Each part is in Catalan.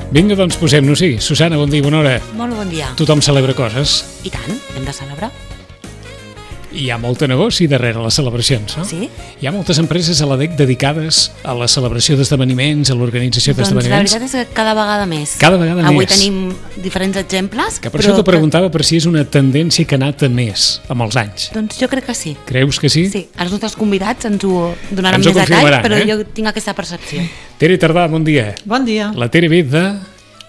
Vinga, doncs posem-nos-hi. Susana, bon dia, bona hora. Molt bon dia. Tothom celebra coses. I tant, hem de celebrar. I hi ha molt de negoci darrere les celebracions, no? Sí. Hi ha moltes empreses a l'ADEC dedicades a la celebració d'esdeveniments, a l'organització Doncs la d'esdeveniments. veritat és que cada vegada més. Cada vegada Avui més. tenim diferents exemples. Que per això t'ho preguntava per si és una tendència que ha anat a més amb els anys. Doncs jo crec que sí. Creus que sí? Sí, els nostres convidats ens ho donaran Ens ho més detalls, confirmaran, però eh? jo tinc aquesta percepció. Tere Tardà, bon dia. Bon dia. La Tere ve de...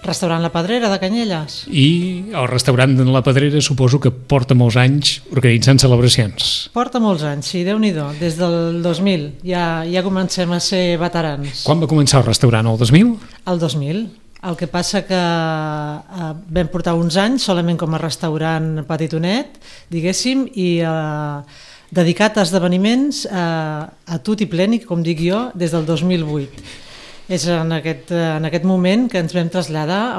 Restaurant La Pedrera de Canyelles. I el restaurant de La Pedrera suposo que porta molts anys organitzant celebracions. Porta molts anys, sí, Déu-n'hi-do. Des del 2000 ja comencem a ser veterans. Quan va començar el restaurant? El 2000? El 2000. El que passa que vam portar uns anys solament com a restaurant petitonet, diguéssim, i dedicat a esdeveniments a tut i pleni, com dic jo, des del 2008. És en aquest moment que ens vam traslladar,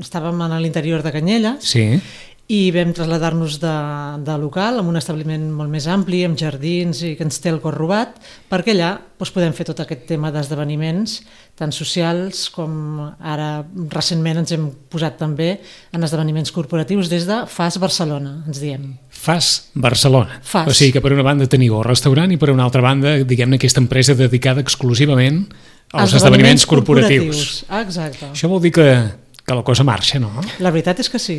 estàvem a l'interior de Canyelles, Sí. i vam traslladar-nos de local amb un establiment molt més ampli, amb jardins i que ens té el cor robat, perquè allà podem fer tot aquest tema d'esdeveniments, tant socials com ara recentment ens hem posat també en esdeveniments corporatius des de FAS Barcelona, ens diem. FAS Barcelona. FAS. O sigui que per una banda teniu el restaurant i per una altra banda, diguem-ne, aquesta empresa dedicada exclusivament als esdeveniments corporatius. Exacte. Això vol dir que la cosa marxa, no? La veritat és que sí.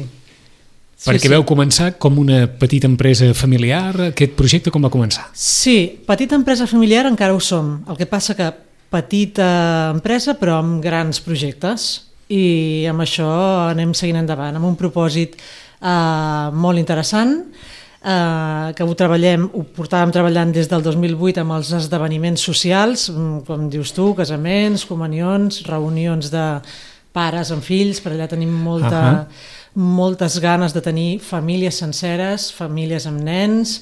Perquè vau començar com una petita empresa familiar. Aquest projecte com va començar? Sí, petita empresa familiar encara ho som. El que passa que petita empresa però amb grans projectes, i amb això anem seguint endavant, amb un propòsit molt interessant, que ho portàvem treballant des del 2008 amb els esdeveniments socials, com dius tu, casaments, comunions, reunions de pares amb fills. Per allà tenim moltes ganes de tenir famílies senceres, famílies amb nens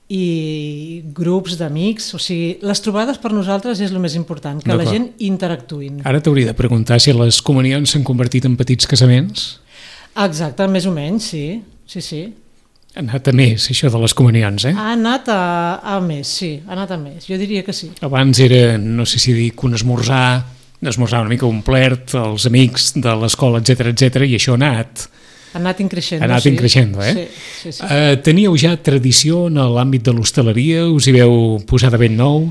i grups d'amics. O sigui, les trobades per nosaltres és el més important, que la gent interactuïn. Ara t'hauria de preguntar si les comunions s'han convertit en petits casaments. Exacte, més o menys, sí. Sí. Ha anat a més, això de les comunions, eh? Ha anat a més, sí, ha anat a més. Jo diria que sí. Abans era, no sé si dic, un esmorzar una mica omplert, els amics de l'escola, etc, i això ha anat... Ha anat increixent. Ha anat increixent, eh? Sí. Teníeu ja tradició en l'àmbit de l'hostaleria? Us hi veu posar de ben nou?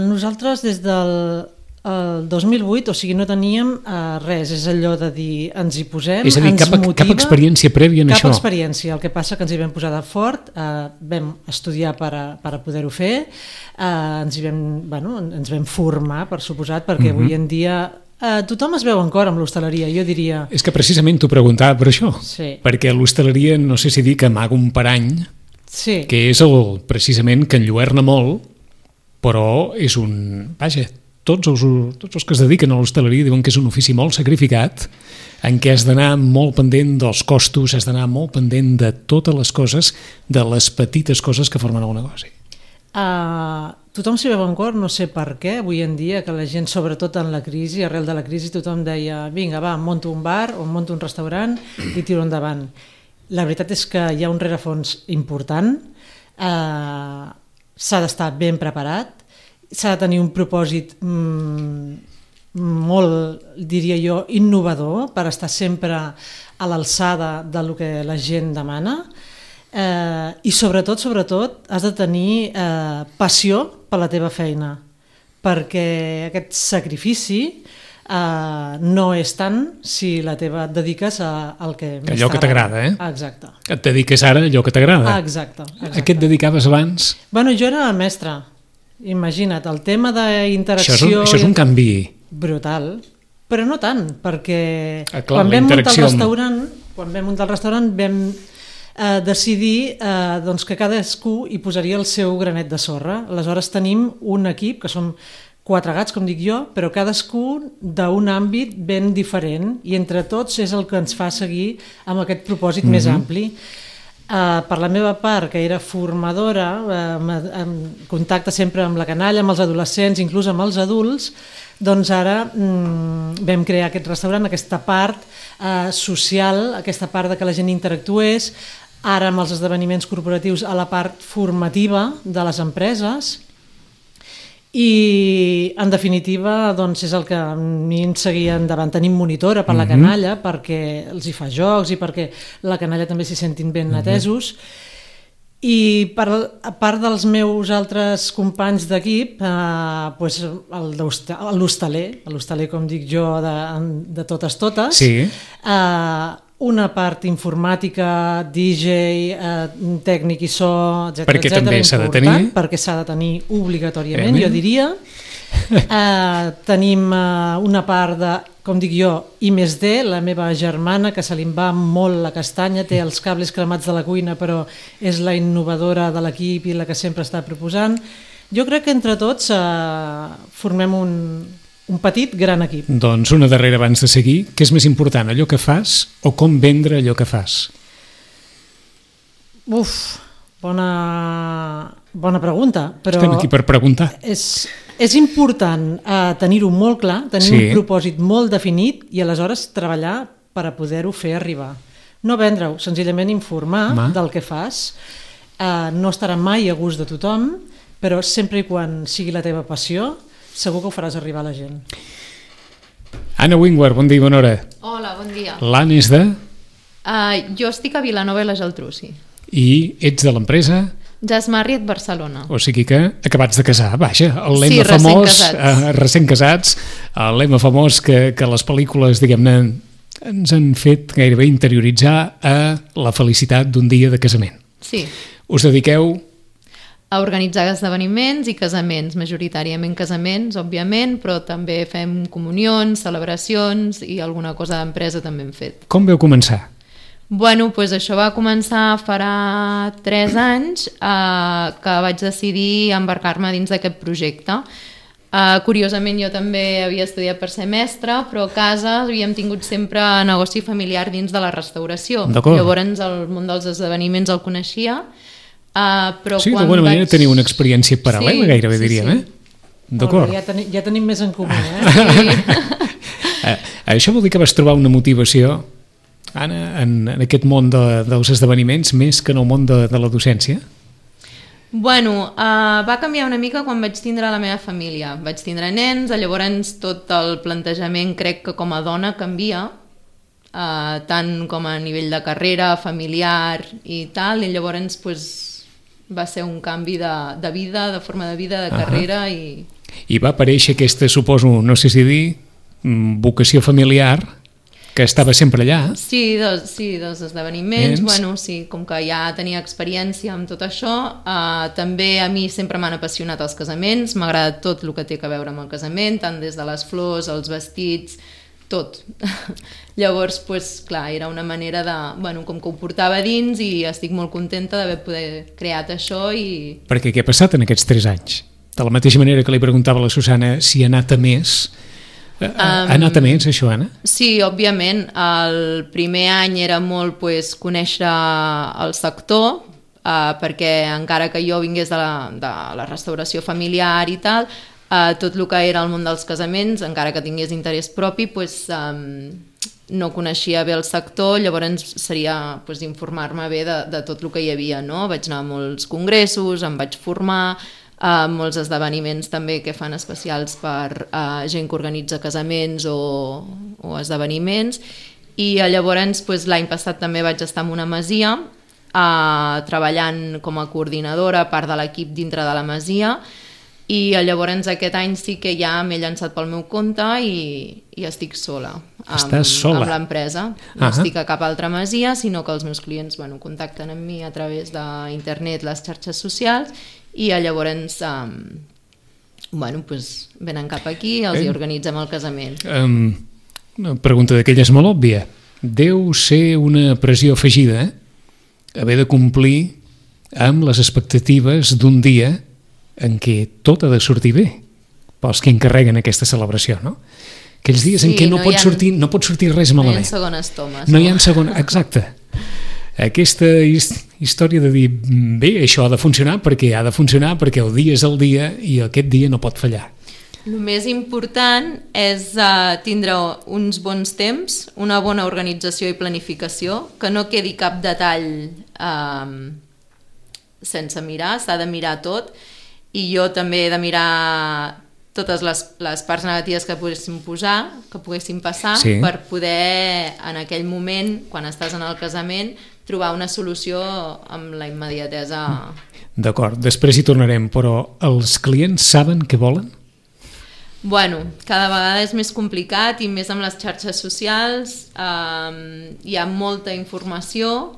Nosaltres des del 2008, o sigui, no teníem res, és allò de dir, ens hi posem, és a dir, ens motiva... Cap experiència prèvia en això? Cap experiència, el que passa que ens hi vam posar de fort, vam estudiar per a poder-ho fer, ens vam formar, per suposat, perquè avui en dia tothom es veu en cor amb l'hostaleria, jo diria... És que precisament t'ho preguntava per això, sí. Perquè l'hostaleria, no sé si dic, amaga un parany, sí. Que és precisament que enlluerna molt, però és un... Vaja, tots els que es dediquen a l'hostaleria diuen que és un ofici molt sacrificat, en què has d'anar molt pendent dels costos, has d'anar molt pendent de totes les coses, de les petites coses que formen el negoci. Tothom s'hi veu en cor, no sé per què, avui en dia, que la gent, sobretot en la crisi, arrel de la crisi, tothom deia, vinga, va, monto un bar o monto un restaurant i tiro endavant. La veritat és que hi ha un rerefons important, s'ha d'estar ben preparat, s'ha de tenir un propòsit molt, diria jo, innovador, per estar sempre a l'alçada del que la gent demana, i sobretot has de tenir passió per la teva feina, perquè aquest sacrifici no és tant si la teva et dediques al que més allò que t'agrada, eh? Exacte. Et dediques ara a allò que t'agrada. Exacte. A què et dedicaves abans? Bueno, jo era mestra. Imagina't, el tema d'interacció... Això és un canvi... Brutal, però no tant, perquè clar, quan vam muntar el restaurant vam decidir que cadascú hi posaria el seu granet de sorra. Aleshores tenim un equip, que som 4 gats, com dic jo, però cadascú d'un àmbit ben diferent, i entre tots és el que ens fa seguir amb aquest propòsit més ampli. Per la meva part, que era formadora, en contacte sempre amb la canalla, amb els adolescents, inclús amb els adults, doncs ara vam crear aquest restaurant, aquesta part social, aquesta part de que la gent interactués, ara amb els esdeveniments corporatius a la part formativa de les empreses, I en definitiva doncs és el que a mi ens seguia endavant. Tenim monitora per la canalla perquè els hi fa jocs i perquè la canalla també s'hi sentin ben atesos. I a part dels meus altres companys d'equip, doncs l'hostaler, com dic jo, de totes, sí. Una part informàtica, DJ, tècnic i so, etc. Perquè també s'ha de tenir. Perquè s'ha de tenir obligatòriament, jo diria. Tenim una part de, com dic jo, I+D, la meva germana, que se li va molt la castanya, té els cables cremats de la cuina, però és la innovadora de l'equip i la que sempre està proposant. Jo crec que entre tots formem un petit gran equip. Doncs una darrera abans de seguir. Què és més important, allò que fas o com vendre allò que fas? Bona pregunta. Però estem aquí per preguntar. És important tenir-ho molt clar, tenir un propòsit molt definit i aleshores treballar per a poder-ho fer arribar. No vendre-ho, senzillament informar del que fas. No estarà mai a gust de tothom, però sempre i quan sigui la teva passió, segur que ho faràs arribar a la gent. Anna Wingward, bon dia i bona hora. Hola, bon dia. L'Anna és de? Jo estic a Vilanova i la Geltrú, sí. I ets de l'empresa? Jazz Marriott Barcelona. O sigui que acabats de casar, vaja, el lema famós, recent casats, el lema famós que les pel·lícules, diguem-ne, ens han fet gairebé interioritzar a la felicitat d'un dia de casament. Sí. Us dediqueu a organitzar esdeveniments i casaments, majoritàriament casaments, òbviament, però també fem comunions, celebracions i alguna cosa d'empresa també hem fet. Com veu començar? Bueno, doncs això va començar farà 3 anys que vaig decidir embarcar-me dins d'aquest projecte. Curiosament jo també havia estudiat per ser mestra, però a casa havíem tingut sempre negoci familiar dins de la restauració. Llavors el món dels esdeveniments el coneixia. Però sí, d'alguna manera teniu una experiència paral·lela, gairebé diríem, D'acord. Ja tenim més en comú, Això vol dir que vas trobar una motivació, Anna, en aquest món dels esdeveniments més que en el món de la docència? Bueno, va canviar una mica quan vaig tindre la meva família. Vaig tindre nens, llavors tot el plantejament crec que com a dona canvia, tant com a nivell de carrera, familiar i tal, i llavors va ser un canvi de vida, de forma de vida, de carrera i va aparèixer aquesta, suposo, no sé si dir, vocació familiar que estava sempre allà. Sí, dels esdeveniments, bueno, sí, com que ja tenia experiència amb tot això, també a mi sempre m'han apassionat els casaments, m'ha agradat tot el que té a veure amb el casament, tant des de les flors, els vestits, tot. Llavors, clar, era una manera de... Bueno, com que ho portava dins i estic molt contenta d'haver poder creat això i... Perquè què ha passat en aquests 3 anys? De la mateixa manera que li preguntava a la Susana si ha anat a més... Ha anat a més, això, Anna? Sí, òbviament. El primer any era molt conèixer el sector, perquè encara que jo vingués de la restauració familiar i tal, tot el que era el món dels casaments, encara que tingués interès propi, no coneixia bé el sector, llavors seria informar-me bé de tot el que hi havia, no? Vaig anar a molts congressos, em vaig formar, molts esdeveniments també que fan especials per gent que organitza casaments o esdeveniments, i llavors l'any passat també vaig estar en una masia treballant com a coordinadora, part de l'equip dintre de la masia, i llavors aquest any sí que ja m'he llançat pel meu compte i estic sola. Estàs sola? Amb l'empresa. No estic a cap altra masia, sinó que els meus clients contacten amb mi a través d'internet, les xarxes socials, i llavors venen cap aquí i els hi organitzem el casament. Una pregunta d'aquelles molt òbvia. Deu ser una pressió afegida, haver de complir amb les expectatives d'un dia en què tot ha de sortir bé pels que encarreguen aquesta celebració, no? Aquells dies en què no pot sortir res malament. No hi ha segones tomes. No hi ha segones, exacte. Aquesta història de dir, bé, això ha de funcionar perquè el dia és el dia i aquest dia no pot fallar. El més important és tindre uns bons temps, una bona organització i planificació, que no quedi cap detall sense mirar, s'ha de mirar tot, i jo també he de mirar totes les parts negatives que poguéssim posar, que poguéssim passar, per poder, en aquell moment, quan estàs en el casament, trobar una solució amb la immediatesa. D'acord, després hi tornarem, però els clients saben què volen? Bueno, cada vegada és més complicat i més amb les xarxes socials, hi ha molta informació,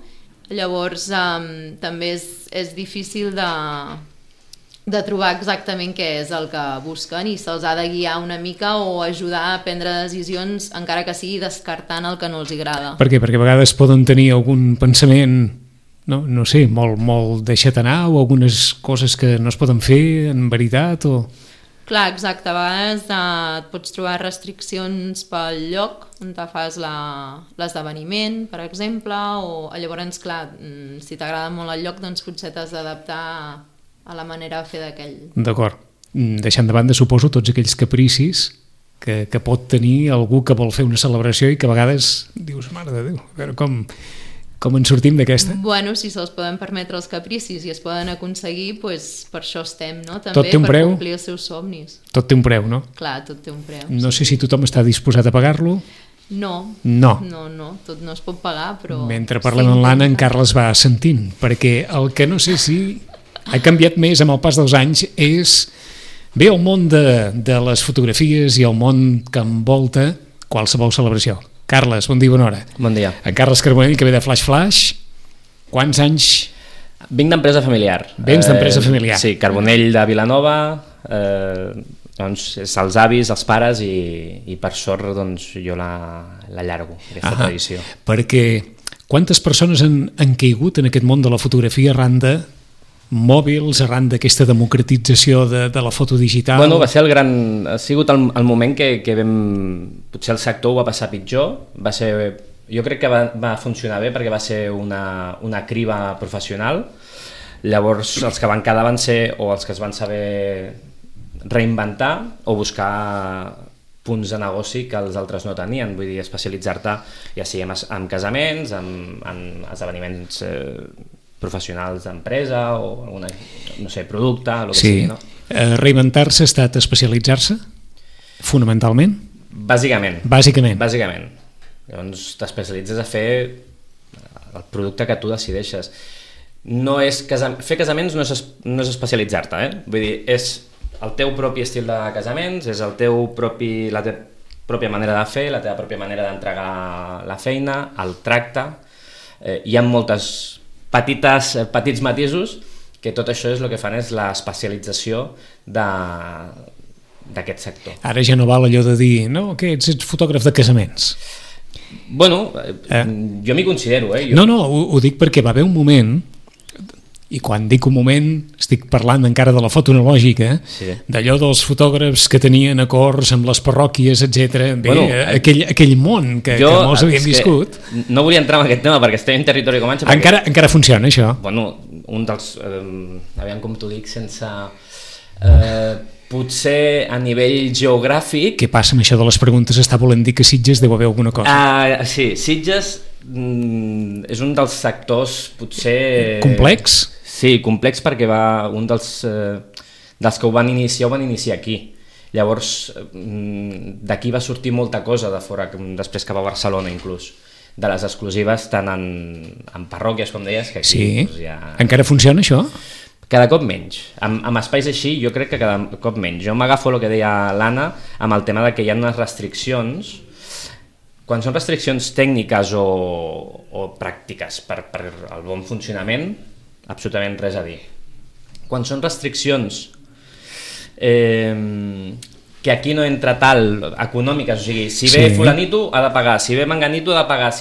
llavors també és difícil de trobar exactament què és el que busquen i se'ls ha de guiar una mica o ajudar a prendre decisions, encara que sigui descartant el que no els agrada. Per què? Perquè a vegades poden tenir algun pensament, no sé, molt deixat anar, o algunes coses que no es poden fer en veritat, o... Clar, exacte, a vegades et pots trobar restriccions pel lloc on te fas l'esdeveniment, per exemple, o llavors, clar, si t'agrada molt el lloc, doncs potser t'has d'adaptar a la manera de fer d'aquell. D'acord. Deixant de banda, suposo, tots aquells capricis que pot tenir algú que vol fer una celebració i que a vegades dius, mare de Déu, a veure com en sortim d'aquesta? Bueno, si se'ls poden permetre els capricis i es poden aconseguir, doncs per això estem, no? També tot té un per preu? Complir els seus somnis. Tot té un preu, no? Clar, tot té un preu. No sé si tothom està disposat a pagar-lo. No, tot no es pot pagar, però... Mentre parlem amb l'Anna, en Carles va sentint, perquè el que no sé si ha canviat més amb el pas dels anys és bé el món de les fotografies i el món que envolta qualsevol celebració. Carles, bon dia, bona hora. Bon dia. En Carles Carbonell, que ve de Flash Flash. Quants anys? Vinc d'empresa familiar. Vens d'empresa familiar. Sí, Carbonell de Vilanova, doncs és els avis, els pares i per sort doncs, jo la llargo, aquesta tradició. Perquè quantes persones han caigut en aquest món de la fotografia arran de mòbils, arran d'aquesta democratització de la foto digital? Bueno, ha sigut el moment que vam... Potser el sector ho va passar pitjor, jo crec que va funcionar bé perquè va ser una criba professional. Llavors els que van quedar van ser o els que es van saber reinventar o buscar punts de negoci que els altres no tenien, vull dir, especialitzar-te ja sigui en casaments, en esdeveniments professionals d'empresa o alguna, no sé, producte, el que sigui, no? Reinventar-se ha estat especialitzar-se, fonamentalment? Bàsicament. Llavors t'especialitzes a fer el producte que tu decideixes. Fer casaments no és especialitzar-te, vull dir, és el teu propi estil de casaments, és la teva pròpia manera de fer, la teva pròpia manera d'entregar la feina, el tracte. Hi ha petits matisos que tot això és el que fan és l'especialització d'aquest sector. Ara ja no val allò de dir, no, que ets fotògraf de casaments. Bueno, jo m'hi considero. No, ho dic perquè va haver un moment, i quan dic un moment estic parlant encara de la foto analògica, d'allò dels fotògrafs que tenien acords amb les parròquies, etc. Aquell món que molts havíem viscut. No volia entrar en aquest tema perquè estem en territori comanxe. Encara funciona això? Bueno, un dels... aviam com t'ho dic sense... potser a nivell geogràfic... Què passa amb això de les preguntes? Està volent dir que Sitges deu haver alguna cosa? Sí, Sitges és un dels sectors potser... Complex? Sí, complex perquè un dels que ho van iniciar aquí. Llavors, d'aquí va sortir molta cosa de fora, després cap a Barcelona inclús, de les exclusives tant en parròquies, com deies, que aquí... Sí, encara funciona això? Cada cop menys. Amb espais així jo crec que cada cop menys. Jo m'agafo el que deia l'Anna amb el tema de que hi ha unes restriccions. Quan són restriccions tècniques o pràctiques per al bon funcionament, absolutament res a dir. Quan són restriccions que aquí no entra tal, econòmiques, o sigui, si ve fulanito ha de pagar, si ve menganito ha de pagar,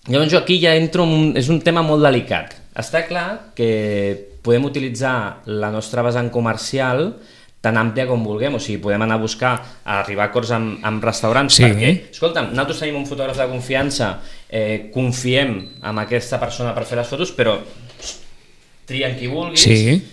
Llavors jo aquí ja entro, és un tema molt delicat. Està clar que podem utilitzar la nostra vessant comercial tan àmplia com vulguem, o sigui, podem anar a buscar, a arribar a acords amb restaurants, perquè, escolta'm, nosaltres tenim un fotògraf de confiança, confiem en aquesta persona per fer les fotos, però trien qui vulguis,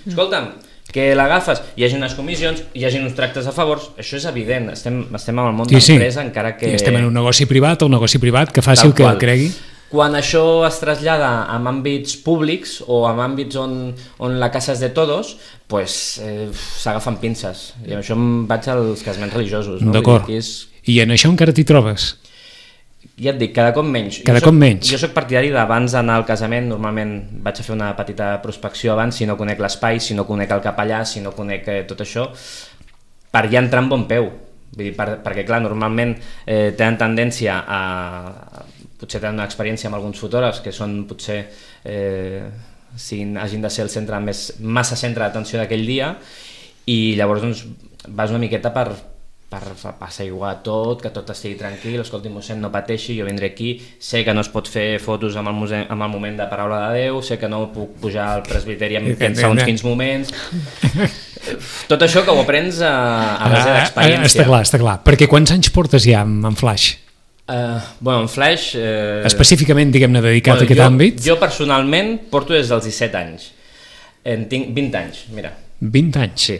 escolta'm, que l'agafes, hi hagi unes comissions, hi hagi uns tractes a favors, això és evident, estem en el món d'empresa, encara que... Estem en un negoci privat, el negoci privat, que faci el que el cregui. Quan això es trasllada en àmbits públics o en àmbits on la casa és de todos, s'agafen pinces. I amb això em vaig als casaments religiosos. No? D'acord. I en això encara t'hi trobes? Ja et dic, cada cop menys. Jo soc partidari d'abans d'anar al casament, normalment vaig a fer una petita prospecció abans, si no conec l'espai, si no conec el capellà, si no conec tot això, per ja entrar amb bon peu. Vull dir, perquè clar, normalment tenen tendència a... potser tenen una experiència amb alguns fotògrafs que són potser hagin de ser el centre massa centre d'atenció d'aquell dia, i llavors doncs, vas una miqueta per passeiguar tot, que tot estigui tranquil, escolti, mossèn, no pateixi, jo vindré aquí, sé que no es pot fer fotos amb el moment de paraula de Déu, sé que no puc pujar al presbiteri en segons quins moments... Tot això que ho aprens a base d'experiència. Està clar. Perquè quants anys portes ja en Flash? En Flash... Específicament, diguem-ne, dedicat a aquest àmbit? Jo personalment porto des dels 17 anys. Tinc 20 anys, mira. 20 anys? Sí.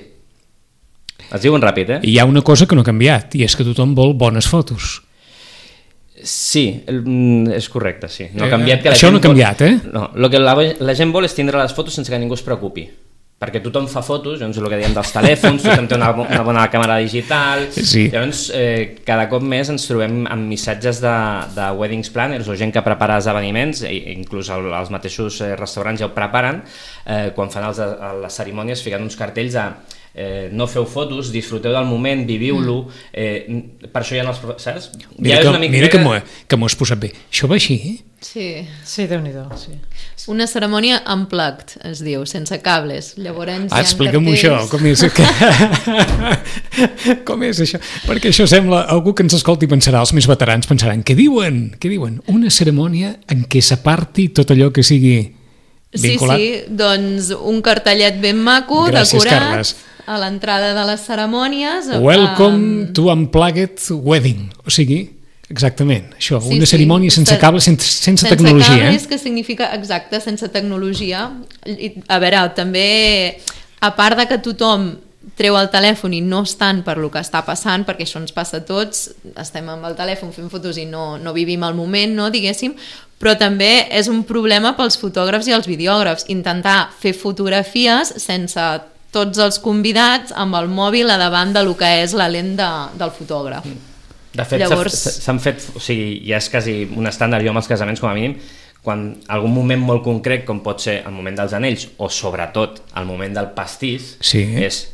Es diuen ràpid, I hi ha una cosa que no ha canviat, i és que tothom vol bones fotos. Sí, és correcte, sí. No ha canviat que això no ha canviat, No, el que la gent vol és tindre les fotos sense que ningú es preocupi. Perquè tothom fa fotos, llavors el que diem dels telèfons, tothom té una bona càmera digital, llavors cada cop més ens trobem amb missatges de weddings planners o gent que prepara esdeveniments, inclús els mateixos restaurants ja ho preparen, quan fan les cerimònies fiquen uns cartells de no feu fotos, disfruteu del moment, viviu-lo, per això hi ha els... Saps? Mira que m'ho has posat bé. Això va així? Sí, Déu-n'hi-do, sí. Una cerimònia unplugged, es diu, sense cables. Llavors explica'm-ho això, com és això? Perquè això sembla, algú que ens escolti pensarà, els més veterans pensaran, què diuen? Una cerimònia en què s'aparti tot allò que sigui vinculat? Sí, doncs un cartellet ben maco, gràcies, decorat, Carles. A l'entrada de les cerimònies. Welcome to Unplugged Wedding, o sigui... Exactament, això, una cerimònia sense cables, sense tecnologia. Sense cables, que significa, exacte, sense tecnologia. I, a veure, també, a part de que tothom treu el telèfon i no estan per lo que està passant, perquè això ens passa a tots, estem amb el telèfon fent fotos i no vivim el moment, no, diguéssim, però també és un problema pels fotògrafs i els videògrafs, intentar fer fotografies sense tots els convidats amb el mòbil a davant de lo que és la lent del fotògraf. De fet, s'han fet, o sigui, ja és quasi un estàndard jo amb els casaments com a mínim, quan algun moment molt concret, com pot ser el moment dels anells o sobretot el moment del pastís,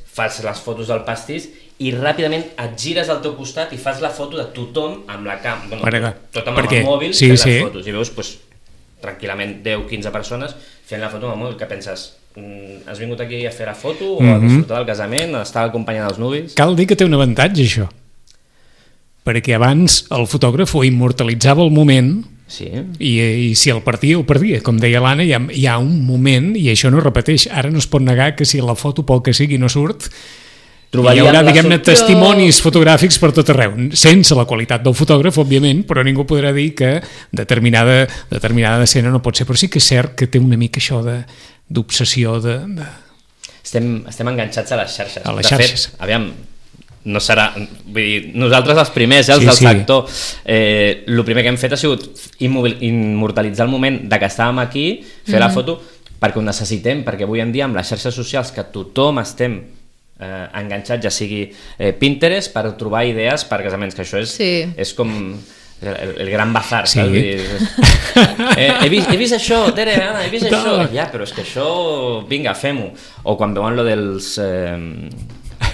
fas les fotos del pastís i ràpidament et gires al teu costat i fas la foto de tothom amb la càmera, tothom amb el mòbil fent les fotos, i veus tranquil·lament 10-15 persones fent la foto amb el mòbil, que penses, has vingut aquí a fer la foto o a disfrutar del casament, a estar acompanyant els nuvis? Cal dir que té un avantatge això, perquè abans el fotògraf ho immortalitzava el moment i si el perdia, ho perdia. Com deia l'Anna, hi ha un moment, i això no es repeteix, ara no es pot negar que si la foto pel que sigui no surt, hi haurà, diguem-ne, testimonis fotogràfics per tot arreu, sense la qualitat del fotògraf, òbviament, però ningú podrà dir que determinada escena no pot ser. Però sí que és cert que té una mica això d'obsessió de... Estem enganxats a les xarxes. A les xarxes. De fet, aviam, no serà... Vull dir, nosaltres els primers, els del sector, el primer que hem fet ha sigut immortalitzar el moment de que estàvem aquí, fer la foto, perquè ho necessitem, perquè avui en dia amb les xarxes socials que tothom estem enganxats, ja sigui Pinterest, per trobar idees per casaments, que això és com el gran bazar, saps? He vist això, Tere, Anna, he vist això. Ja, però és que això, vinga, fem-ho. O quan veuen lo dels...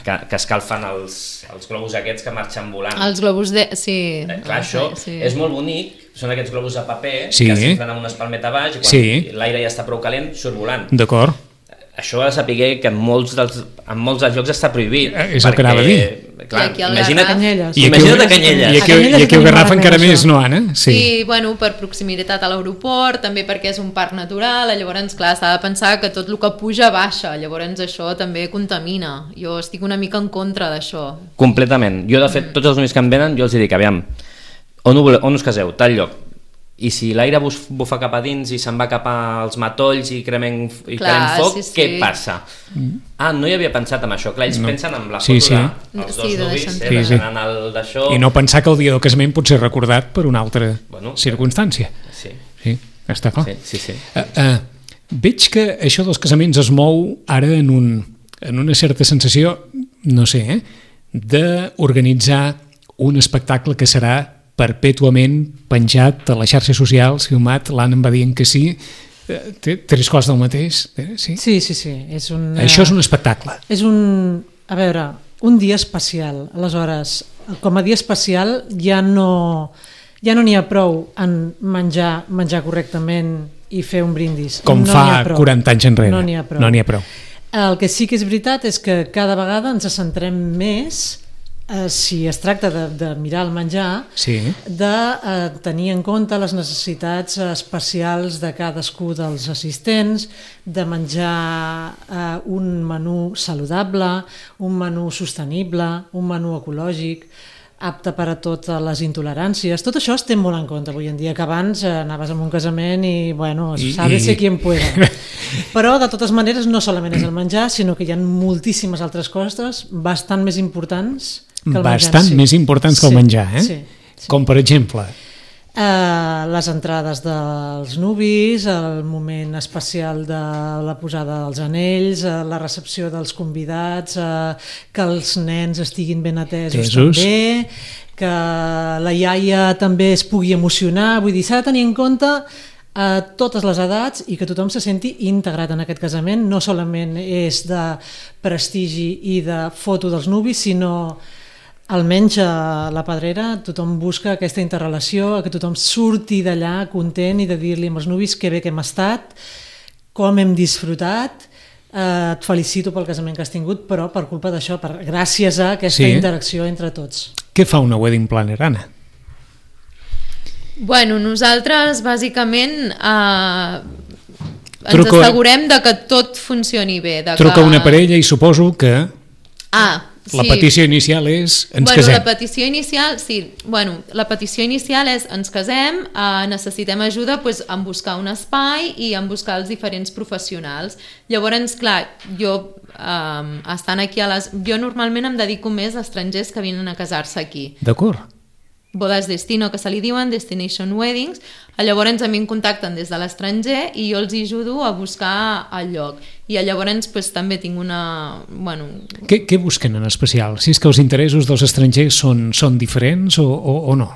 que escalfen els globus aquests que marxen volant. Els globus de... Sí. Clar, això és molt bonic, són aquests globus de paper que s'entren amb una espalmeta a baix i quan l'aire ja està prou calent surt volant. D'acord. Això ha de saber que en molts dels llocs està prohibit. És el que anava a dir. Clar, imagina't Canyelles. a Canyelles. I aquí ho Garraf encara més, no, Anna? Sí, bueno, per proximitat a l'aeroport, també perquè és un parc natural, llavors, clar, s'ha de pensar que tot el que puja baixa, llavors això també contamina. Jo estic una mica en contra d'això. Completament. Jo, de fet, tots els nois que em venen, jo els dic, aviam, on us caseu? Tal lloc. I si l'aire bufa cap a dins i se'n va cap als matolls i cremem foc, què passa? No hi havia pensat en això. Clar, ells pensen en la foto dels dos nuvis, d'això... I no pensar que el dia del casament pot ser recordat per una altra circumstància. Sí, Està clar. Sí. Veig que això dels casaments es mou ara en una certa sensació, no sé, d'organitzar un espectacle que serà perpètuament penjat a les xarxes socials, filmat, l'Anna em va dient que sí, tres coses del mateix, sí? Sí. Això és un espectacle. A veure, un dia especial. Aleshores, com a dia especial ja no n'hi ha prou en menjar correctament i fer un brindis. Com fa 40 anys enrere. No n'hi ha prou. No n'hi ha prou. El que sí que és veritat és que cada vegada ens centrem més, si es tracta de mirar el menjar, de tenir en compte les necessitats especials de cadascú dels assistents, de menjar un menú saludable, un menú sostenible, un menú ecològic, apte per a totes les intoleràncies. Tot això es té molt en compte avui en dia, que abans anaves a un casament i, bueno, sálvese quien pueda. Però, de totes maneres, no solament és el menjar, sinó que hi ha moltíssimes altres coses bastant més importants que el menjar. Bastant més importants que el menjar, eh? Sí. Com, per exemple? Les entrades dels nuvis, el moment especial de la posada dels anells, la recepció dels convidats, que els nens estiguin ben atesos també, que la iaia també es pugui emocionar, vull dir, s'ha de tenir en compte a totes les edats i que tothom se senti integrat en aquest casament. No solament és de prestigi i de foto dels nuvis, sinó almenys a la Pedrera tothom busca aquesta interrelació, que tothom surti d'allà content i de dir-li als nuvis que bé que hem estat, com hem disfrutat, et felicito pel casament que has tingut, però per culpa d'això, gràcies a aquesta interacció entre tots. Què fa una wedding planner, Anna? Bueno, nosaltres bàsicament ens assegurem de que tot funcioni bé. Truca una parella i suposo que... La Sí. petició inicial és ens casem. La petició inicial, sí. La petició inicial és ens casem, necessitem ajuda en buscar un espai i en buscar els diferents professionals. Llavors, clar, jo estant aquí jo normalment em dedico més a estrangers que venen a casar-se aquí. D'acord. Bodes destino, que se li diuen, destination weddings. Llavors a mi em contacten des de l'estranger i jo els ajudo a buscar el lloc. I llavors també tinc una... Què busquen en especial? Si és que els interessos dels estrangers són diferents o no?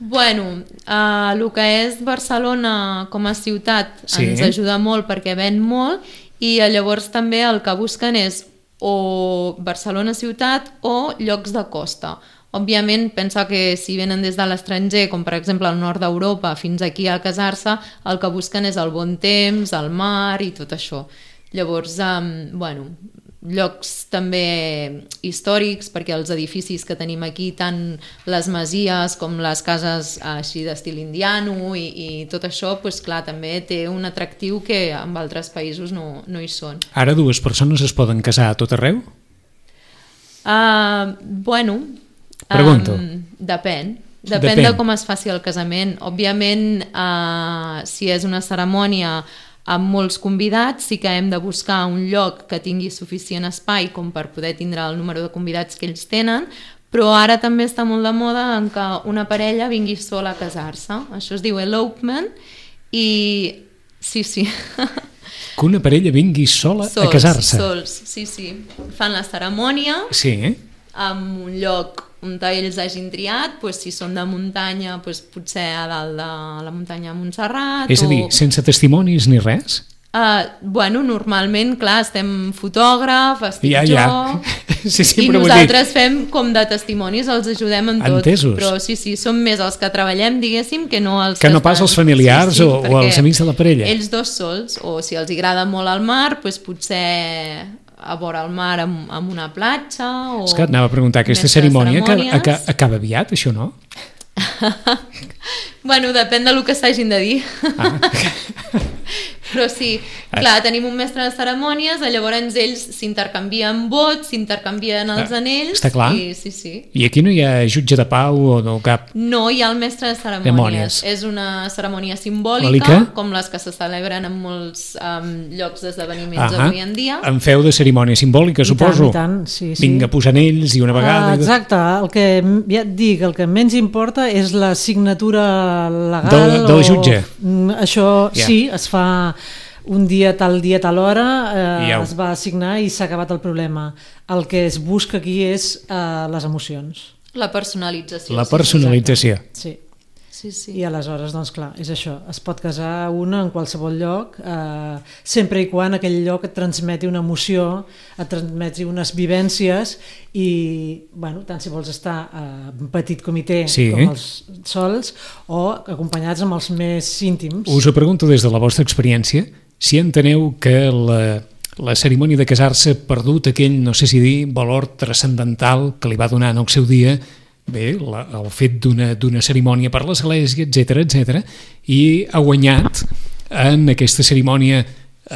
El que és Barcelona com a ciutat ens ajuda molt perquè ven molt i llavors també el que busquen és o Barcelona ciutat o llocs de costa. Òbviament, pensa que si venen des de l'estranger, com per exemple al nord d'Europa, fins aquí a casar-se, el que busquen és el bon temps, el mar i tot això. Llavors, llocs també històrics, perquè els edificis que tenim aquí, tant les masies com les cases així d'estil indiano i tot això, clar, també té un atractiu que en altres països no hi són. Ara 2 persones es poden casar a tot arreu? Pregunto. Depèn de com es faci el casament. Òbviament, si és una cerimònia amb molts convidats, sí que hem de buscar un lloc que tingui suficient espai com per poder tindre el número de convidats que ells tenen, però ara també està molt de moda en que una parella vingui sola a casar-se. Això es diu elopement i sí. Que una parella vingui sola a casar-se? Sols, sí. Fan la cerimònia en un lloc on ells hagin triat, si són de muntanya, potser a dalt de la muntanya de Montserrat. És a dir, sense testimonis ni res? Normalment, clar, estem fotògraf, estic jo, sí, i nosaltres fem com de testimonis, els ajudem en tot. Entesos. Però sí, som més els que treballem, diguéssim, que no els que no pas els familiars o els amics de la parella. Ells 2 sols, o si els agrada molt el mar, potser a vora el mar amb una platja o... És que anava a preguntar, aquesta cerimònia acaba aviat, això no? Depèn del que s'hagin de dir. Però sí, clar, tenim un mestre de cerimònies, llavors ells s'intercanvien vots, s'intercanvien els anells. Està clar. Sí. I aquí no hi ha jutge de pau o no cap... No, hi ha el mestre de cerimònies. És una cerimònia simbòlica, com les que se celebren en molts llocs d'esdeveniments avui en dia. En feu de cerimònia simbòlica, suposo. I tant, sí. Vinga, posar anells i una vegada... Exacte, ja et dic, el que menys importa és la signatura legal del jutge. Això sí, es fa un dia, tal hora, es va assignar i s'ha acabat el problema. El que es busca aquí és les emocions. La personalització. La personalització. Sí. Sí. I aleshores, doncs clar, és això. Es pot casar una en qualsevol lloc, sempre i quan aquell lloc et transmeti una emoció, et transmeti unes vivències i, bueno, tant si vols estar en petit comitè com els sols o acompanyats amb els més íntims. Us ho pregunto des de la vostra experiència, si enteneu que la cerimònia de casar-se ha perdut aquell, no sé si dir, valor transcendental que li va donar en el seu dia el fet d'una cerimònia per l'església, etc, i ha guanyat en aquesta cerimònia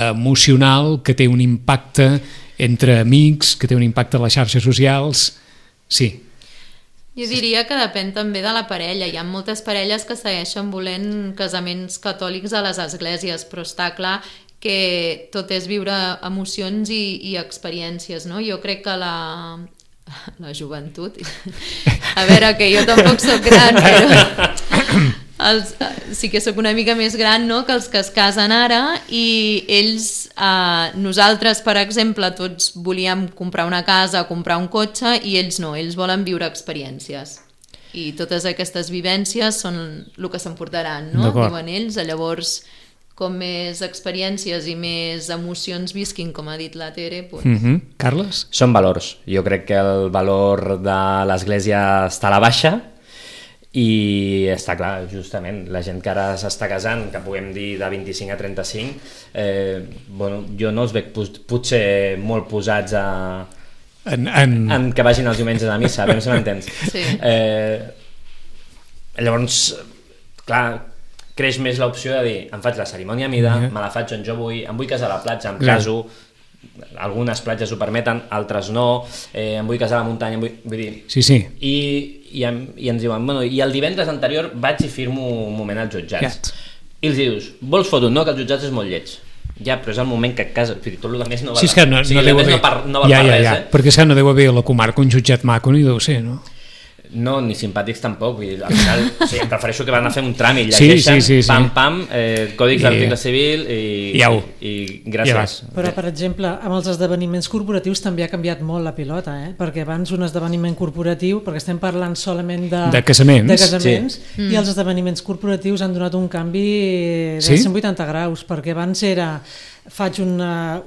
emocional que té un impacte entre amics, que té un impacte a les xarxes socials. Sí. Jo diria que depèn també de la parella. Hi ha moltes parelles que segueixen volent casaments catòlics a les esglésies, però està clar que tot és viure emocions i experiències, no? Jo crec que la joventut, a veure, que jo tampoc soc gran, però sí que sóc una mica més gran, no?, que els que es casen ara, i ells, nosaltres per exemple tots volíem comprar una casa, comprar un cotxe, i ells no, ells volen viure experiències i totes aquestes vivències són el que s'emportaran, no?, diuen ells. Llavors, com més experiències i més emocions visquin, com ha dit la Tere, doncs... Carles? Són valors. Jo crec que el valor de l'Església està a la baixa i està clar, justament, la gent que ara s'està casant, que puguem dir de 25 a 35, bueno, jo no els veig potser molt posats en que vagin els diumenges a missa, a veure si m'entens. Sí. Llavors, clar, creix més l'opció de dir, em faig la cerimònia a mida, me la faig on jo vull, em vull casar a la platja, em caso, algunes platges ho permeten, altres no, em vull casar a la muntanya, vull dir... Sí. I ens diuen, bueno, i el divendres anterior vaig i firmo un moment als jutjats. I els dius, vols foto? No, que els jutjats és molt lleig. Ja, però és el moment que et cases, tot el que més no va... Sí, és que no deu haver... no val per res, perquè és que no deu haver a la comarca un jutjat maco, ni deu ser, no? No, ni simpàtics tampoc, vull dir, al final em prefereixo que van a fer un tràmit, llegeixen, pam, còdics d'article civil i gràcies. Però, per exemple, amb els esdeveniments corporatius també ha canviat molt la pilota, perquè abans un esdeveniment corporatiu, perquè estem parlant solament de casaments, i els esdeveniments corporatius han donat un canvi de 180 graus, perquè abans faig una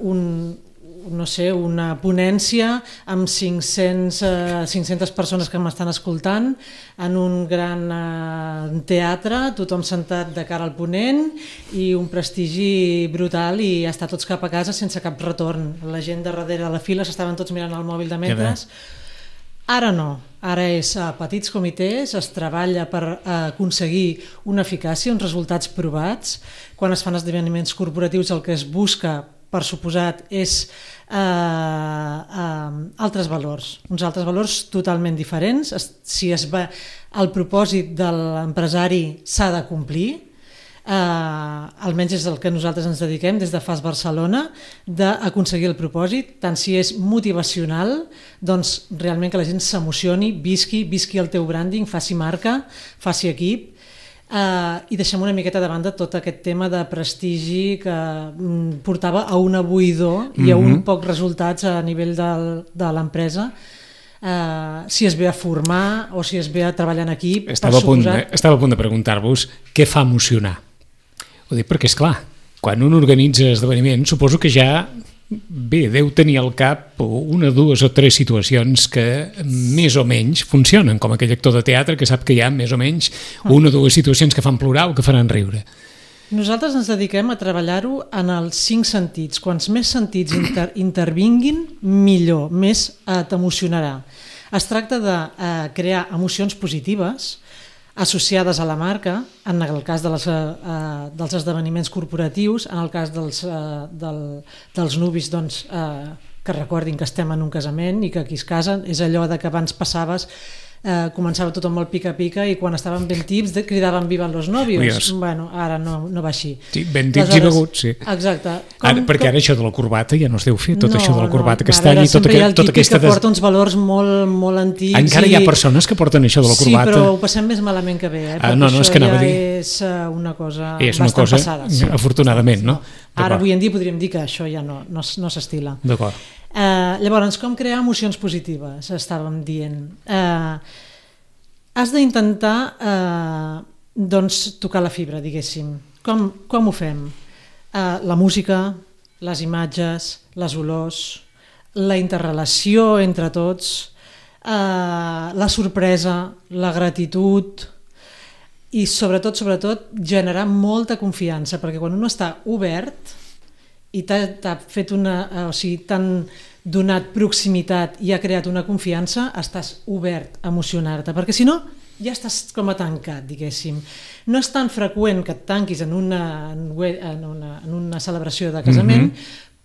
ponència amb 500 persones que m'estan escoltant en un gran teatre, tothom sentat de cara al ponent i un prestigi brutal i estar tots cap a casa sense cap retorn. La gent de darrere de la fila s'estaven tots mirant el mòbil de metres. Ara no, ara és a petits comitès, es treballa per aconseguir una eficàcia, uns resultats provats. Quan es fan esdeveniments corporatius el que es busca, per suposat, és altres valors, uns altres valors totalment diferents. Si el propòsit de l'empresari s'ha de complir, almenys és el que nosaltres ens dediquem des de FAS Barcelona, d'aconseguir el propòsit, tant si és motivacional, doncs realment que la gent s'emocioni, visqui el teu branding, faci marca, faci equip, i deixem una miqueta de banda tot aquest tema de prestigi que portava a un buidor i a un poc resultats a nivell de l'empresa, si es ve a formar o si es ve a treballar en equip. Estava a punt de preguntar-vos què fa emocionar. Ho dic perquè, esclar, quan un organitza esdeveniments, suposo que ja deu tenir al cap una, dues o tres situacions que més o menys funcionen, com aquell actor de teatre que sap que hi ha més o menys una o dues situacions que fan plorar o que faran riure. Nosaltres ens dediquem a treballar-ho en els 5 sentits. Quants més sentits intervinguin, millor, més t'emocionarà. Es tracta de crear emocions positives, associades a la marca, en el cas dels esdeveniments corporatius, en el cas dels nuvis, doncs, que recordin que estem en un casament i que aquí es casen, és allò de que abans passaves, començava tothom molt pica-pica i quan estaven ben tips cridaven vivan los novios. Bueno, ara no va així. Sí, ben tips i beguts, sí. Exacte. Perquè ara això de la corbata ja no es deu fer, tot això de la corbata aquest any i tota aquesta... Sempre hi ha el típic que porta uns valors molt antics. Encara hi ha persones que porten això de la corbata. Sí, però ho passem més malament que bé, perquè no, és que això ja és una cosa bastant passada. Afortunadament, no? Ara, avui en dia, podríem dir que això ja no s'estila. D'acord. Llavors, com crear emocions positives? Estàvem dient. Has d'intentar tocar la fibra, diguéssim. Com ho fem? La música, les imatges, les olors, la interrelació entre tots, la sorpresa, la gratitud i sobretot generar molta confiança, perquè quan un està obert i t'ha fet t'han donat proximitat i ha creat una confiança, estàs obert a emocionar-te, perquè si no ja estàs com a tancat, diguéssim. No és tan freqüent que et tanquis en una celebració de casament,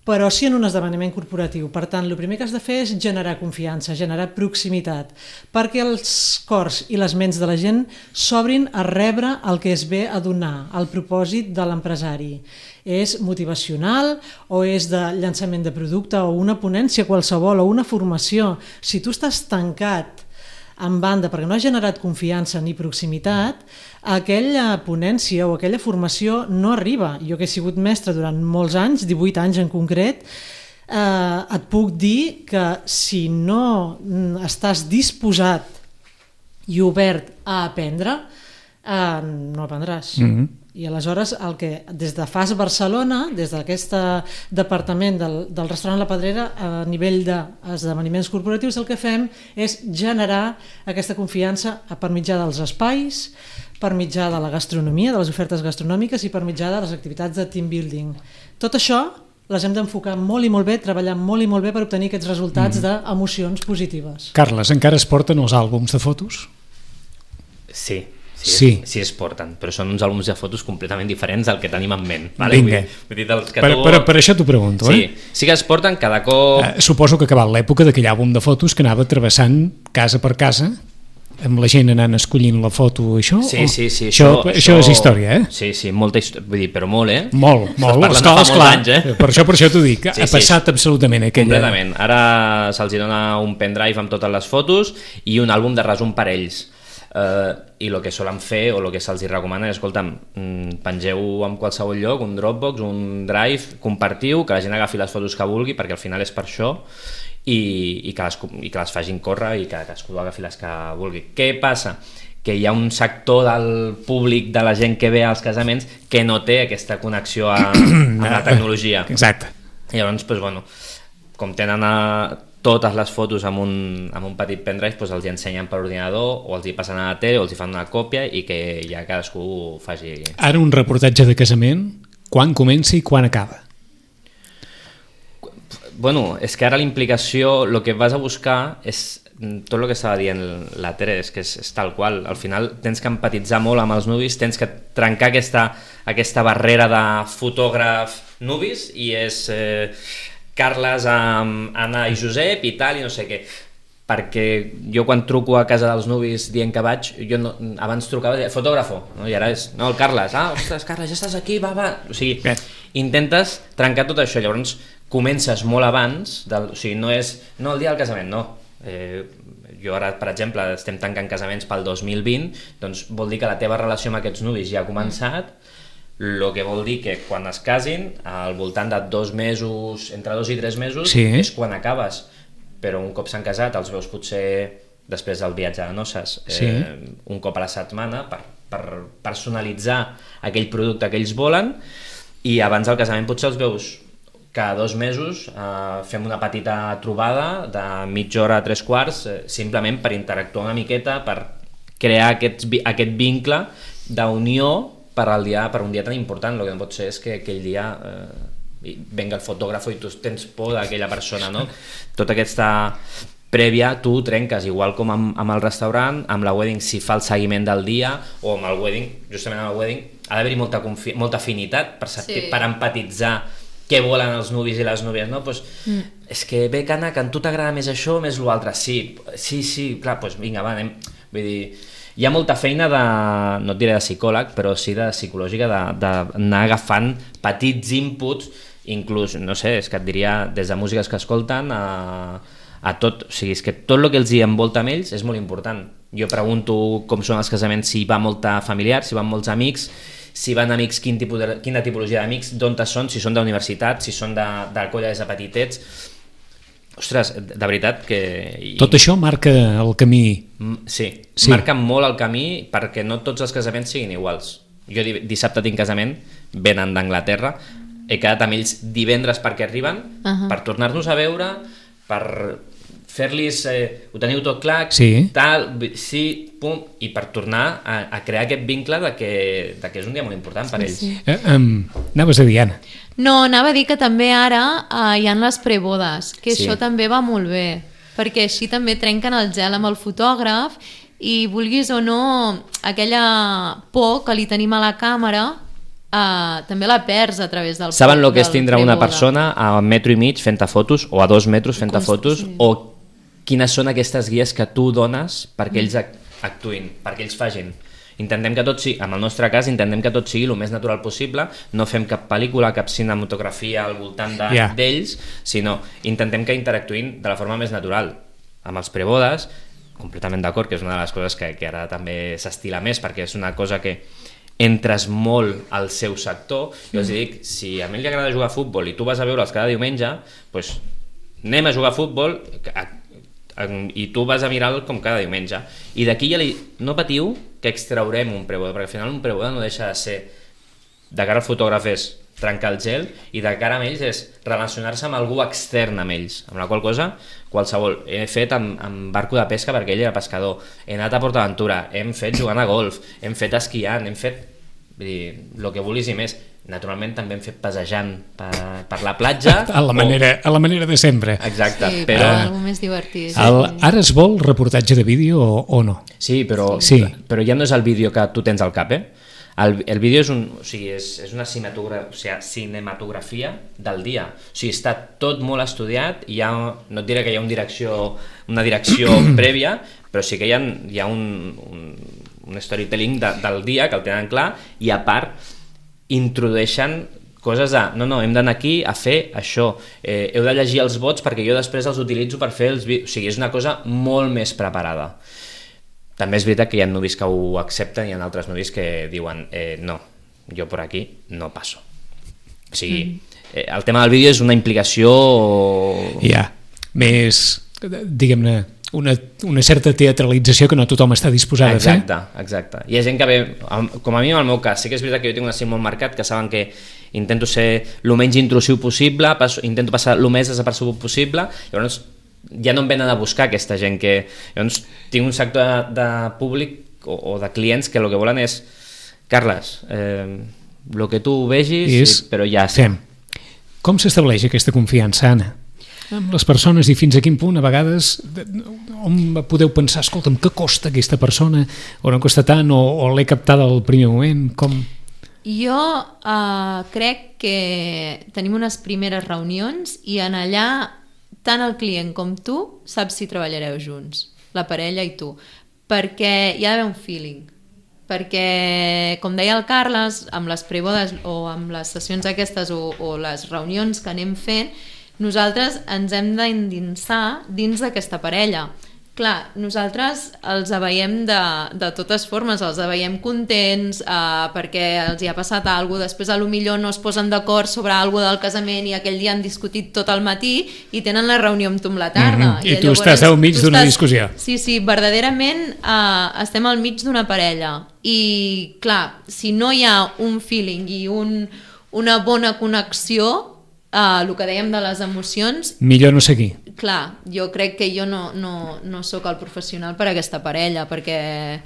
però sí en un esdeveniment corporatiu. Per tant, el primer que has de fer és generar confiança, generar proximitat, perquè els cors i les ments de la gent s'obrin a rebre el que es ve a donar, el propòsit de l'empresari. És motivacional o és de llançament de producte o una ponència qualsevol o una formació. Si tu estàs tancat en banda perquè no has generat confiança ni proximitat, aquella ponència o aquella formació no arriba. Jo que he sigut mestre durant molts anys, 18 anys en concret, et puc dir que si no estàs disposat i obert a aprendre, no aprendràs. I aleshores el que des de FAS Barcelona, des d'aquest departament del restaurant La Pedrera, a nivell d'esdeveniments corporatius, el que fem és generar aquesta confiança per mitjà dels espais, per mitjà de la gastronomia, de les ofertes gastronòmiques i per mitjà de les activitats de team building. Tot això les hem d'enfocar molt i molt bé, treballar molt i molt bé per obtenir aquests resultats d'emocions positives. Carles, encara es porten els àlbums de fotos? Sí es porten, però són uns àlbums de fotos completament diferents del que tenim en ment. Vale? Vinga, per això t'ho pregunto. Sí que es porten cada cop... Suposo que ha acabat l'època d'aquell àlbum de fotos que anava travessant casa per casa, amb la gent anant escollint la foto, això? Sí. Això és història, Sí, molta història, vull dir, però molt, Molt, esclar. Per això t'ho dic, ha passat absolutament aquella... Completament. Ara se'ls dona un pendrive amb totes les fotos i un àlbum de resum per ells. I el que solen fer o el que se'ls recomana és, escolta'm, pengeu en qualsevol lloc un Dropbox, un Drive, compartiu, que la gent agafi les fotos que vulgui, perquè al final és per això, i que les facin córrer i que cadascú agafi les que vulgui. Què passa? Que hi ha un sector del públic, de la gent que ve als casaments, que no té aquesta connexió amb la tecnologia. Exacte. I llavors, com tenen totes les fotos amb un petit pendrive, els hi ensenyen per ordinador o els hi passen a la tele o els hi fan una còpia i que ja cadascú faci... Ara un reportatge de casament, quan comença i quan acaba? És que ara la implicació, el que vas a buscar és tot el que estava dient la Tere, és que és tal qual. Al final tens que empatitzar molt amb els nuvis, tens que trencar aquesta barrera de fotògraf nuvis i és... Carles amb Anna i Josep i tal, i no sé què, perquè jo quan truco a casa dels nuvis dient que vaig, jo no, abans trucava fotògrafo, no? I ara és, no, el Carles, ostres, Carles, ja estàs aquí, va, o sigui, intentes trencar tot això, llavors comences molt abans, o sigui, no és, no el dia del casament, no, jo ara, per exemple, estem tancant casaments pel 2020, doncs vol dir que la teva relació amb aquests nuvis ja ha començat, el que vol dir que quan es casin, al voltant de 2 mesos, entre 2 i 3 mesos, és quan acabes. Però un cop s'han casat, els veus potser després del viatge de noces, un cop a la setmana, per personalitzar aquell producte que ells volen, i abans del casament potser els veus cada 2 mesos, fem una petita trobada de mitja hora a 3/4, simplement per interactuar una miqueta, per crear aquest vincle d'unió per un dia tan important. El que no pot ser és que aquell dia venga el fotògraf i tu tens por d'aquella persona, no? Tota aquesta prèvia tu trenques, igual com amb el restaurant, amb la wedding si fa el seguiment del dia, o amb el wedding, justament amb el wedding ha d'haver-hi molta afinitat per empatitzar què volen els nuvis i les núvies, no? Pues, és que bé, que a tu t'agrada més això o més l'altre? Sí, clar, doncs vinga, va, anem. Vull dir, hi ha molta feina de, no et diré de psicòleg, però sí de psicològica, d'anar agafant petits inputs, inclús, no sé, és que et diria, des de músiques que escolten a tot, o sigui, és que tot el que els hi envolta amb ells és molt important. Jo pregunto com són els casaments, si va molta familiar, si van molts amics, si van amics, quina tipologia d'amics, d'on són, si són d'universitat, si són de colla des de petitets. Ostres, de veritat que... Tot això marca el camí. Sí, marca molt el camí perquè no tots els casaments siguin iguals. Jo dissabte tinc casament, venen d'Anglaterra, he quedat amb ells divendres perquè arriben, per tornar-nos a veure, per fer-los, ho teniu tot clar, tal, sí, pum, i per tornar a crear aquest vincle de que és un dia molt important per ells. Anaves a dir, Anna? No, anava a dir que també ara hi ha les prebodes, que això també va molt bé, perquè així també trenquen el gel amb el fotògraf i vulguis o no, aquella por que li tenim a la càmera també la perds a través del... Saben el que és tindre una persona a 1,5 metres fent-te fotos, o a 2 metres fent-te fotos, o quines són aquestes guies que tu dones perquè ells actuïn, perquè ells facin. Intentem que tot sigui, en el nostre cas, intentem que tot sigui el més natural possible, no fem cap pel·lícula, cap cinematografia al voltant d'ells, sinó intentem que interactuïn de la forma més natural. Amb els prebodes, completament d'acord, que és una de les coses que ara també s'estila més, perquè és una cosa que entres molt al seu sector. Jo els dic, si a mi li agrada jugar a futbol i tu vas a veure'ls cada diumenge, doncs anem a jugar a futbol i tu vas a mirar-lo com cada diumenge, i d'aquí ja no patiu que extraurem un preboda, perquè al final un preboda no deixa de ser, de cara al fotògraf és trencar el gel, i de cara a ells és relacionar-se amb algú extern amb ells, amb la qual cosa qualsevol, he fet amb barco de pesca perquè ell era pescador, he anat a PortAventura, hem fet jugant a golf, hem fet esquiant, hem fet el que vulguis i més. Naturalment també hem fet passejant per la platja a la manera de sempre. Exacte, sí, però algo més divertit. Ara es vol reportatge de vídeo o no? Sí, però ja no és el vídeo que tu tens al cap, el vídeo és una cinematografia del dia, o sigui, està tot molt estudiat, no et diré que hi ha una direcció prèvia, però sí que hi ha un storytelling del dia que el tenen clar, i a part introdueixen coses de no, hem d'anar aquí a fer això, heu de llegir els vots perquè jo després els utilitzo per fer els vídeos, o sigui, és una cosa molt més preparada. També és veritat que hi ha nuvis que ho accepten i hi ha altres nuvis que diuen no, jo per aquí no passo. O sigui, el tema del vídeo és una implicació més, diguem-ne, una certa teatralització que no tothom està disposat a fer. Exacte. Hi ha gent que ve, com a mi en el meu cas, sí que és veritat que jo tinc un estil molt marcat, que saben que intento ser el menys intrusiu possible, intento passar el més desapercebut possible, llavors ja no em venen a buscar aquesta gent que... Llavors tinc un sector de públic o de clients que el que volen és Carles, el que tu vegis, però ja sé. Com s'estableix aquesta confiança, Anna? Amb les persones, i fins a quin punt a vegades on podeu pensar, escolta'm, què costa aquesta persona, o no costa tant, o l'he captada al primer moment, com... Jo crec que tenim unes primeres reunions i en allà tant el client com tu saps si treballareu junts, la parella i tu, perquè hi ha d'haver un feeling, perquè com deia el Carles, amb les prebodes o amb les sessions aquestes o les reunions que anem fent, nosaltres ens hem d'endinsar dins d'aquesta parella. Clar, nosaltres els veiem de totes formes, els veiem contents perquè els hi ha passat alguna cosa, després potser no es posen d'acord sobre alguna cosa del casament i aquell dia han discutit tot el matí i tenen la reunió amb tu amb la tarda. I tu estàs al mig d'una discussió. Sí, verdaderament estem al mig d'una parella i clar, si no hi ha un feeling i una bona connexió, el que dèiem de les emocions, millor no seguir. Clar, jo crec que jo no sóc el professional per a aquesta parella perquè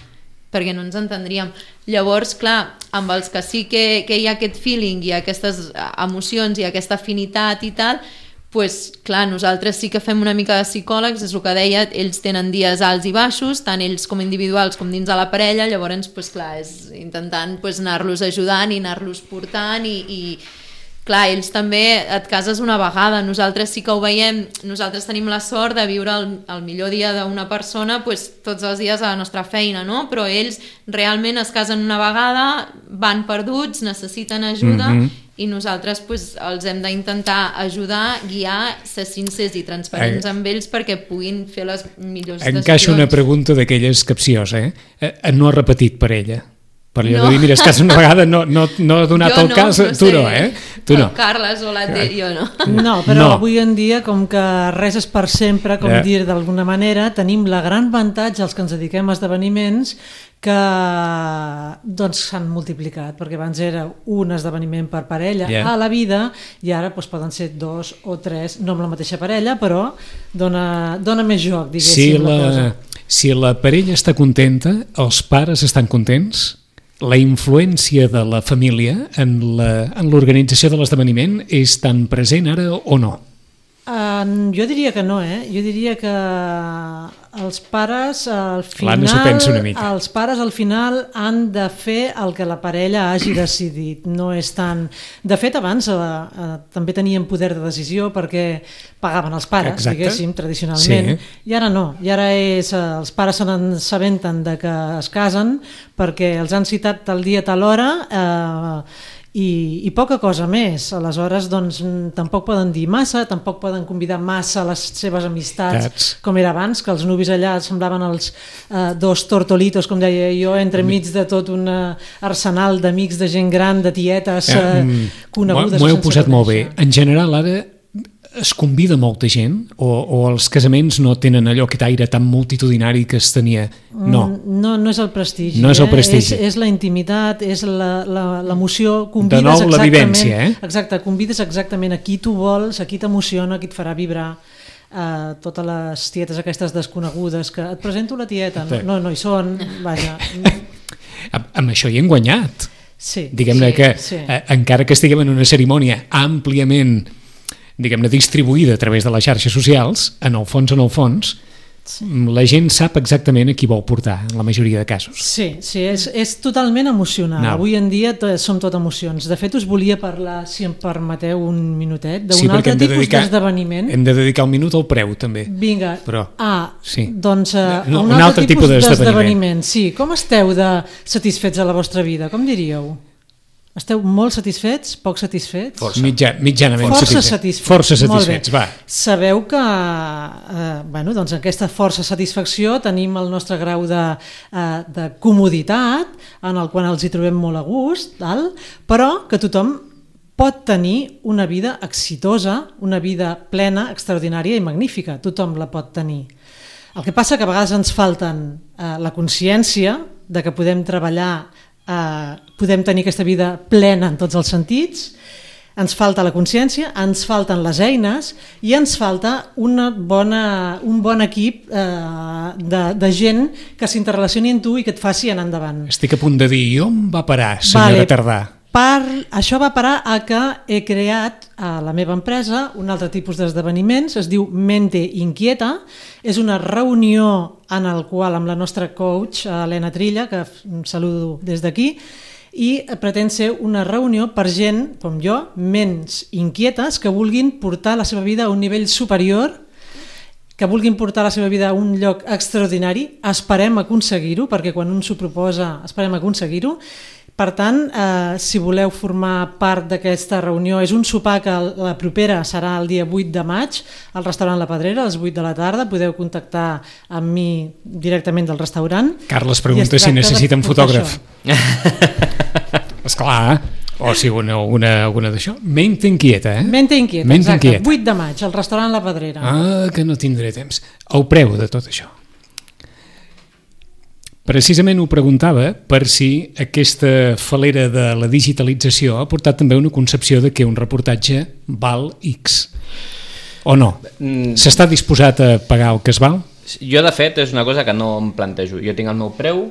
no ens entendríem. Llavors, clar, amb els que sí que hi ha aquest feeling i aquestes emocions i aquesta afinitat i tal, pues, clar, nosaltres sí que fem una mica de psicòlegs, és el que deia, ells tenen dies alts i baixos, tant ells com individuals com dins de la parella, llavors, pues, clar, és intentant pues, anar-los ajudant i anar-los portant i clar, ells també et cases una vegada, nosaltres sí que ho veiem, nosaltres tenim la sort de viure el millor dia d'una persona pues, tots els dies a la nostra feina, no? Però ells realment es casen una vegada, van perduts, necessiten ajuda i nosaltres pues, els hem d'intentar ajudar, guiar, ser sincers i transparents amb ells perquè puguin fer les millors decisions. Encaixo una pregunta d'aquelles capciosa, No ha repetit per ella? Per allò de dir, mira, es casa una vegada, no ha donat el cas, tu no, Tu no. Carles o jo no. No, però avui en dia, com que res és per sempre, com dir d'alguna manera, tenim la gran avantatge, els que ens dediquem a esdeveniments, que doncs s'han multiplicat, perquè abans era un esdeveniment per parella a la vida i ara doncs, poden ser 2 o 3, no amb la mateixa parella, però dona més joc, diguéssim, la cosa. Si la parella està contenta, els pares estan contents, la influència de la família en l'organització de l'esdeveniment és tan present ara o no? Jo diria que no, Jo diria que els pares al final... L'Anna s'ho pensa una mica. Els pares al final han de fer el que la parella hagi decidit. No és tant... De fet, abans també tenien poder de decisió perquè pagaven els pares, diguéssim, tradicionalment. Sí. I ara no. I ara els pares se n'assabenten de que es casen perquè els han citat tal dia, tal hora... I poca cosa més. Aleshores doncs tampoc poden dir massa, tampoc poden convidar massa les seves amistats com era abans, que els nuvis allà semblaven els dos tortolitos, com deia jo, entremig de tot un arsenal d'amics, de gent gran, de tietes conegudes. M'ho heu posat molt bé. En general ara es convida molta gent o els casaments no tenen allò aquest aire tan multitudinari que es tenia? No és el prestigi. No és el prestigi. És la intimitat, és l'emoció. De nou la vivència, Exacte, convides exactament a qui tu vols, a qui t'emociona, a qui et farà vibrar. Totes les tietes aquestes desconegudes que et presento la tieta, no hi són, vaja. Amb això hi hem guanyat. Sí. Diguem-ne que encara que estiguem en una cerimònia àmpliament diguem-ne, distribuïda a través de les xarxes socials, en el fons, la gent sap exactament a qui vol portar, en la majoria de casos. Sí, és totalment emocional. Avui en dia som tot emocions. De fet, us volia parlar, si em permeteu un minutet, d'un altre tipus d'esdeveniment. Hem de dedicar un minut al preu, també. Vinga. Doncs un altre tipus d'esdeveniment. Sí, com esteu de satisfets a la vostra vida? Com diríeu? Esteu molt satisfets? Poc satisfets? Mitjanament satisfets. Força satisfets, va. Sabeu que doncs aquesta força satisfacció tenim el nostre grau de comoditat, en el qual els hi trobem molt a gust, però que tothom pot tenir una vida exitosa, una vida plena, extraordinària i magnífica. Tothom la pot tenir. El que passa que a vegades ens falten la consciència de que podem treballar, podem tenir aquesta vida plena en tots els sentits, ens falta la consciència, ens falten les eines i ens falta un bon equip de gent que s'interrelacioni amb tu i que et faci anar endavant. Estic a punt de dir, on va parar, senyora Tardà? Això va parar a que he creat a la meva empresa un altre tipus d'esdeveniments, es diu Mente Inquieta, és una reunió en el qual amb la nostra coach, Helena Trilla, que saludo des d'aquí, i pretén ser una reunió per gent, com jo, ments inquietes, que vulguin portar la seva vida a un nivell superior, que vulguin portar la seva vida a un lloc extraordinari. Esperem aconseguir-ho, perquè quan un s'ho proposa esperem aconseguir-ho. Per tant, si voleu formar part d'aquesta reunió, és un sopar que la propera serà el dia 8 de maig al restaurant La Pedrera, a les 8 de la tarda. Podeu contactar amb mi directament del restaurant. Carles pregunta si necessiten fotògraf. Esclar, o si alguna d'això. Mente Inquieta, Mente Inquieta, exacte. 8 de maig al restaurant La Pedrera. Que no tindré temps. El preu de tot això. Precisament ho preguntava per si aquesta falera de la digitalització ha portat també una concepció de que un reportatge val X. O no? S'està disposat a pagar el que es val? Jo, de fet, és una cosa que no em plantejo. Jo tinc el meu preu,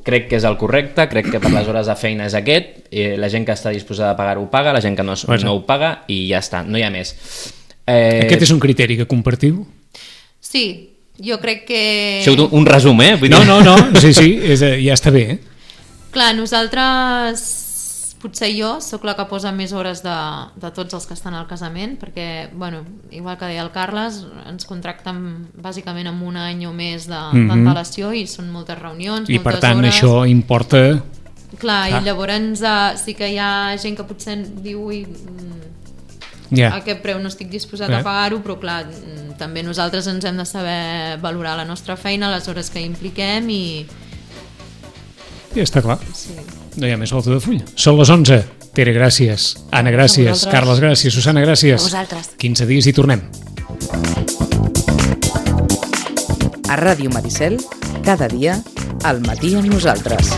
crec que és el correcte, crec que per les hores de feina és aquest, la gent que està disposada a pagar-ho paga, la gent que no ho paga i ja està, no hi ha més. Aquest és un criteri que compartiu? Sí, jo crec que... Això un resum, Vull dir... No, sí, ja està bé, Clar, nosaltres... Potser jo sóc la que posa més hores de tots els que estan al casament, perquè, bueno, igual que deia el Carles, ens contracten bàsicament amb un any o més d'antelació i són moltes reunions, I moltes per tant hores. això importa... Clar, i llavors sí que hi ha gent que potser diu ui, a aquest preu no estic disposat a pagar-ho, però clar, també nosaltres ens hem de saber valorar la nostra feina, les hores que impliquem i... Ja està clar. Sí. No hi ha més volta de full. Són les 11. Pere, gràcies. Anna, gràcies. Carles, gràcies. Susana, gràcies. A vosaltres. 15 dies i tornem. A Ràdio Maricel, cada dia, al matí amb nosaltres.